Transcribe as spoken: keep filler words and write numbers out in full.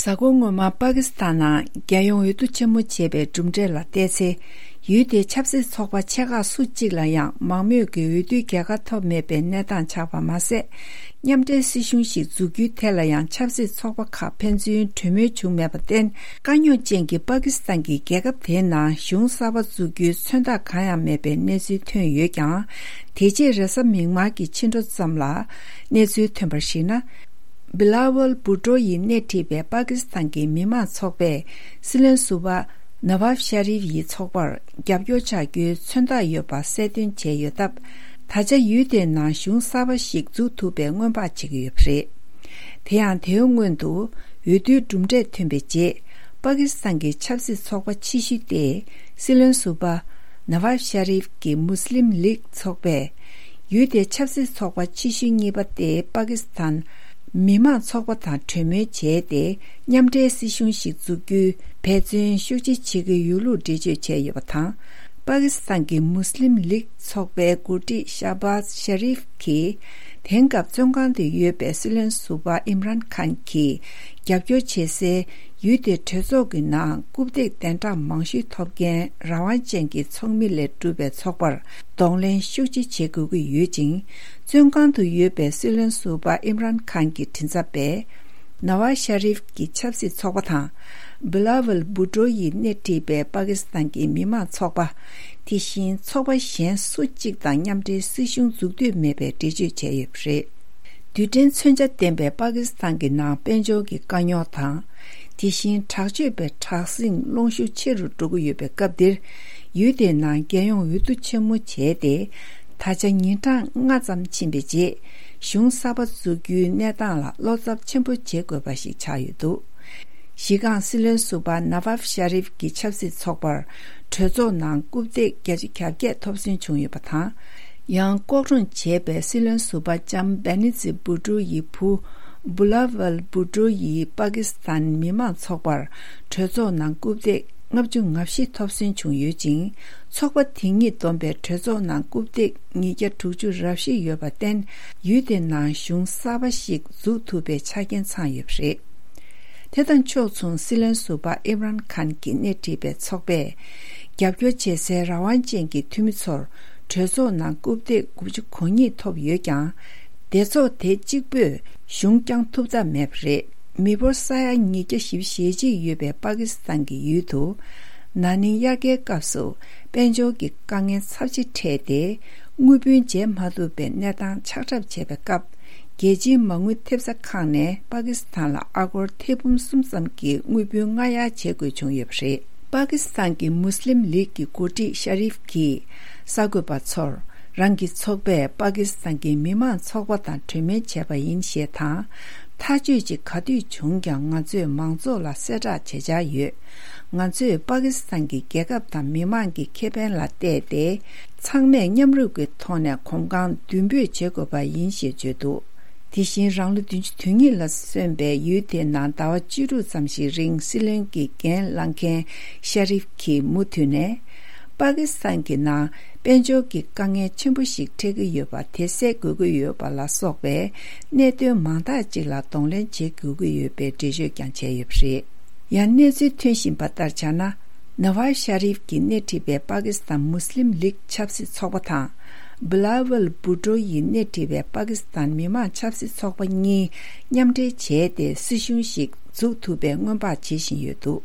གཟའ་འཁོར་སྔོན་མ་པ་ཀི་སི་ཐན་ནང་རྒྱལ་ཡོངས་འོས་བསྡུ་ཆེན་མོ་བྱས་པའི་གྲུབ་འབྲས་ལ་བལྟས་ཚེ། ཡུལ་དེའི་ཆབ་སྲིད་ཚོགས་པ་ཆེ་ཁག་སུ་གཅིག་ལ་ཡང་མང་མོས་ཀྱི་འོས་བསྡུའི་རྒྱལ་ཁ་ཐོབ་མེད་པའི་གནས་སྟངས་ཆགས་པ་མ་ཟད། མཉམ་འབྲེལ་སྲིད་གཞུང་ཞིག་འཛུགས་རྒྱུའི་ཐད་ལ་ཡང་ཆབ་སྲིད་ཚོགས་པ་ཁག་ཕན་ཚུན་གྲོས་མོལ་བྱུང་མེད་པར་བརྟེན། དཀའ་རྙོག་ཅན་གྱི་པ་ཀི་སི་ཐན་གྱི་རྒྱལ་ཁབ་དེའི་ནང་གཞུང་གསར་པ་འཛུགས་རྒྱུའི་མཚོན་རྟགས་གང་ཡང་མེད་པའི་གནས་ཚུལ་ཐོན་ཡོད་ཀྱང་། དེ་རྗེས་རེས་གཟའ་མིག་དམར་གྱི་ཕྱི་དྲོ་ཙམ་ལ་གནས་ཚུལ་ཐོན་པར་གཞིགས་ན། བི་ལ་ཝལ་བུ་ཏྲོ་ཡིས་སྣེ་ཁྲིད་པའི་པ་ཀི་སི་ཐན་གྱི་མི་མང་ཚོགས་པས་སྲིད་བློན་ཟུར་པ་ནཱ་ཝབ་ཤ་རིབ་ཡི་ཚོགས་པར་རྒྱབ་སྐྱོར་བྱ་རྒྱུའི་མཚོན་རྟགས་ཡོད་པ་གསལ་སྟོན་བྱས་ཡོད་སྟབས། ད་ཆ་ཡུལ་དེའི་ནང་གཞུང་གསར་པ་ཞིག་འཛུགས་ཐུབ་པའི་སྔོན་དཔག་བྱེད་ཀྱི་ཡོད་པ་རེད། དེ་ཡང་དེའི་སྔོན་དུ་འོས་བསྡུའི་གྲུབ་འབྲས་ཐོན་པའི་རྗེས། པ་ཀི་སི་ཐན་གྱི་ཆབ་སྲིད་ཚོགས་པ་ཆེ་ཤོས་དེ་སྲིད་བློན་ཟུར་པ་ནཱ་ཝབ་ཤ་རིབ་ཀྱི་མུ་སི་ལིམ་ལིག་ཚོགས་པས། ཡུལ་དེའི་ཆབ་སྲིད་ཚོགས་པ་ཆེ་ཤོས་གཉིས་པ་དེ་པ་ཀི་སི་ཐན་མི་མང་ཚོགས་པ་དང་གྲོས་མོལ་བྱས་ཏེ། མཉམ་འབྲེལ་སྲིད་གཞུང་ཞིག་འཛུགས་རྒྱུའི་འབད་བརྩོན་ཤུགས་ཆེ་བྱེད་ཀྱི་ཡོད་ལུགས་འགྲེལ་བརྗོད་བྱས་ཡོད་པ་དང་། པ་ཀི་སི་ཐན་གྱི་མུ་སི་ལིམ་ལིག་ཚོགས་པའི་འགོ་ཁྲིད་ཤ་བྷ་ཛ་ཤ་རིབ་ཀྱིས། དེང་སྐབས་བཙོན་ཁང་དུ་ཡོད་པའི་སྲིད་བློན་ཟུར་པ་ཨིམ་རན་ཁཱན་གྱིས་རྒྱབ་སྐྱོར་བྱེད་སའི་ཡུལ་དེའི་གྲོས་ཚོགས་ཀྱི་ནང་རྐུབ་སྟེགས་གདན་དྲངས་མང་ཤོས་ཐོབ་མཁན་རང་དབང་ཅན་གྱི་ཚོགས་མི་ལས་གྲུབ་པའི་ཚོགས་པར་གདོང་ལེན་ཤུགས་ཆེ་བྱེད་དགོས་ཀྱི་ཡོད་ཅིང་། བཙོན་ཁང་དུ་ཡོད་པའི་སྲིད་བློན་ཟུར་པ་ཨིམ་རན་ཁཱན་གྱི་མགྲིན་ཚབ་པས། ནཱ་ཝ་ཤ་རིབ་ཀྱི་ཆབ་སྲིད་ཚོགས་པ་དང་། བི་ལ་ཝལ་བུ་ཏྲོ་ཡིས་སྣེ་ཁྲིད་པའི་པ་ཀི་སི་ཐན་གྱི་མི་མང་ཚོགས་པ། དེ་བཞིན་ཚོགས་པ་གཞན་སུ་གཅིག་དང་མཉམ་འབྲེལ་སྲིད་གཞུང་འཛུགས་འདོད་མེད་པའི་འགྲེལ་བརྗོད་བྱས་ཡོད་པ་རེད། རྡུལ་ཕྲན་མཚོན་ཆ་ལྡན་པའི་པ་ཀི་སི་ཐན་གྱི་ནང་དཔལ་འབྱོར་གྱི་དཀའ་རྙོག་དང་། དེ་བཞིན་དྲག་སྤྱོད་པའི་དྲག་ཟིང་སློང་ཤུགས་ཆེ་རུ་འགྲོ་གི་ཡོད་པའི་སྐབས་འདིར། ཡུལ་དེའི་ནང་རྒྱལ་ཡོངས་འོས་བསྡུ་ཆེན་མོ་བྱས་ཏེ། ད་ཆ་ཉིན་གྲངས་ལྔ་ཙམ་ཕྱིན་པའི་རྗེས། གཞུང་གསར་པ་འཛུགས་རྒྱུའི་གནས་སྟངས་ལ་བློ་འཚབ་ཆེན་པོ་བྱེད་དགོས་པ་ཞིག་ཆགས་ཡོད་འདུག་གཞི་རྐང་སྲིད་བློན་ཟུར་པ་ནཱ་ཝབ་ཤ་རིབ་ཀྱི་ཆབ་སྲིད་ཚོགས་པར་གྲོས་ཚོགས་ནང་རྐུབ་སྟེགས་བརྒྱ་ཆ་གྱ་བརྒྱད་ཐོབ་སོན་བྱུང་ཡོད་པ་དང་། ཡང་ལྐོག་བྲོས་བྱས་པའི་སྲིད་བློན་ཟུར་པ་ལྕམ་བེ་ནི་ཛི་བུ་ཏྲོ་ཡི་བུ་བུ་ལ་ཝལ་བུ་ཏྲོ་ཡིས་པ་ཀི་སི་ཐན་མི་མང་ཚོགས་པར་གྲོས་ཚོགས་ནང་རྐུབ་སྟེགས་ལྔ་བཅུ་ང་བཞི་ཐོབ་སོན་བྱུང་ཡོད་ཅིང་། ཚོགས་པ་དེ་ཉིད་བསྡོམས་པའི་གྲོས་ཚོགས་ནང་རྐུབ་སྟེགས་ཉིས་བརྒྱ་དྲུག་ཅུ་རེ་བཞི་ཡོད་པར་བརྟེན། ཡུལ་དེའི་ནང་གཞུང་གསར་པ་ཞིག་འཛུགས་ཐུབ་པའི་ཆ་རྐྱེན་ཚང་ཡོད་པ་རེད། དེ་དང་ཕྱོགས་མཚུངས་སྲིད་བློན་ཟུར་པ་ཨིམ་རན་ཁཱན་གྱིས་སྣེ་ཁྲིད་པའི་ཚོགས་པས། རྒྱབ་སྐྱོར་བྱེད་སའི་རང་དབང་ཅན་གྱི་འཐུས་མི་ཚོར་གྲོས་ཚོགས་ནང་རྐུབ་སྟེགས་དགུ་བཅུ་གོ་གཉིས་ཐོབ་ཡོད་ཀྱང་། སྡེ་ཚོགས་དེ་གཅིག་པུས་གཞུང་བསྐྱང་ཐུབ་ཐབས་མེད་པ་རེད། མི་འབོར་ས་ཡ་ཉིས་བརྒྱ་བཞི་བཅུ་ཞེ་གཅིག་ཡོད་པའི་པ་ཀི་སི་ཐན་གྱི་ཡུལ་དུ། ན་ནིང་དབྱར་ཁའི་སྐབས་སུ་དཔལ་འབྱོར་གྱི་དཀའ་ངལ་ཚབས་ཆེ་འཕྲད་དེ། དངུལ་བུན་འཇལ་མ་ཐུབ་པའི་གནས་སྟངས་ཆགས་གྲབས་བྱས་པའི་སྐབས། རྒྱལ་སྤྱིའི་མ་དངུལ་ཐེབས་རྩ་ཁང་ནས་པ་ཀི་སི་ཐན་ལ་ཨ་སྒོར་ཐེར་འབུམ་གསུམ་ཙམ་གྱི་དངུལ་བུན་སྔ་གཡར་བྱེད་དགོས་བྱུང་ཡོད་པ་རེད། པ་ཀི་སི་ཐན་གྱི་མུ་སི་ལིམ་ལིག་གི་འགོ་ཁྲིད་ཤ་རིབ་ཀྱིས་གསར་འགོད་པ་ཚོར། རང་གི་ཚོགས་པས་པ་ཀི་སི་ཐན་གྱི་མི་མང་ཚོགས་པ་དང་གྲོས་མོལ་བྱས་པ་ཡིན་ཞེས་དང་། ཐག་གཅོད་ཅིག་ག་དུས་བྱུང་ཀྱང་ང་ཚོས་མང་ཚོགས་ལ་གསལ་བསྒྲགས་བྱེད་འཆར་ཡོད། ང་ཚོས་པ་ཀི་སི་ཐན་གྱི་རྒྱལ་ཁབ་དང་མི་མང་གི་ཁེ་ཕན་ལ་བལྟས་ཏེ། ཚང་མས་མཉམ་རུབ་ཀྱི་ཐོག་ནས་གོམ་གང་མདུན་སྤོས་བྱེད་དགོས་པ་ཡིན་ཞེས་བརྗོད་འདུག་དེ་བཞིན་རང་ལོ་བདུན་ཅུ་དོན་གཉིས་ལ་སོན་པའི་ཡུལ་དེའི་ནང་ཟླ་བ་བཅུ་དྲུག་ཙམ་ཞིག་རིང་སྲིད་བློན་གྱི་འགན་བླངས་མཁན་ཤ་རིབ་ཀྱིས་མུ་མཐུད་ནས། པ་ཀི་སི་ཐན་གྱི་ནང་དཔལ་འབྱོར་གྱི་དཀའ་ངལ་ཆེན་པོ་ཞིག་འཕྲད་ཀྱི་ཡོད་པ་དེ་སེལ་དགོས་ཀྱི་ཡོད་པ་ལ་སོགས་པའི་གནད་དོན་མང་དག་ཅིག་ལ་གདོང་ལེན་བྱེད་དགོས་ཀྱི་ཡོད་པའི་འགྲེལ་བརྗོད་ཀྱང་བྱས་ཡོད་པ་རེད། ཡང་གནས་ཚུལ་ཐོན་བཞིན་པ་ལྟར་ཆ་ན། ནཱ་ཝ་ཤ་རིབ་ཀྱིས་སྣེ་ཁྲིད་པའི་པ་ཀི་སི་ཐན་མུ་སི་ལིམ་ལིག་ཆབ་སྲིད་ཚོགས་པ་དང་། བི་ལ་ཝལ་བུ་ཏྲོ་ཡིས་སྣེ་ཁྲིད་པའི་པ་ཀི་སི་ཐན་མི་མང་ཆབ་སྲིད་ཚོགས་པ་གཉིས་མཉམ་འབྲེལ་བྱས་ཏེ་སྲིད་གཞུང་ཞིག་འཛུགས་ཐུབ་པའི་སྔོན་དཔག་བྱེད་བཞིན་ཡོད་འདུག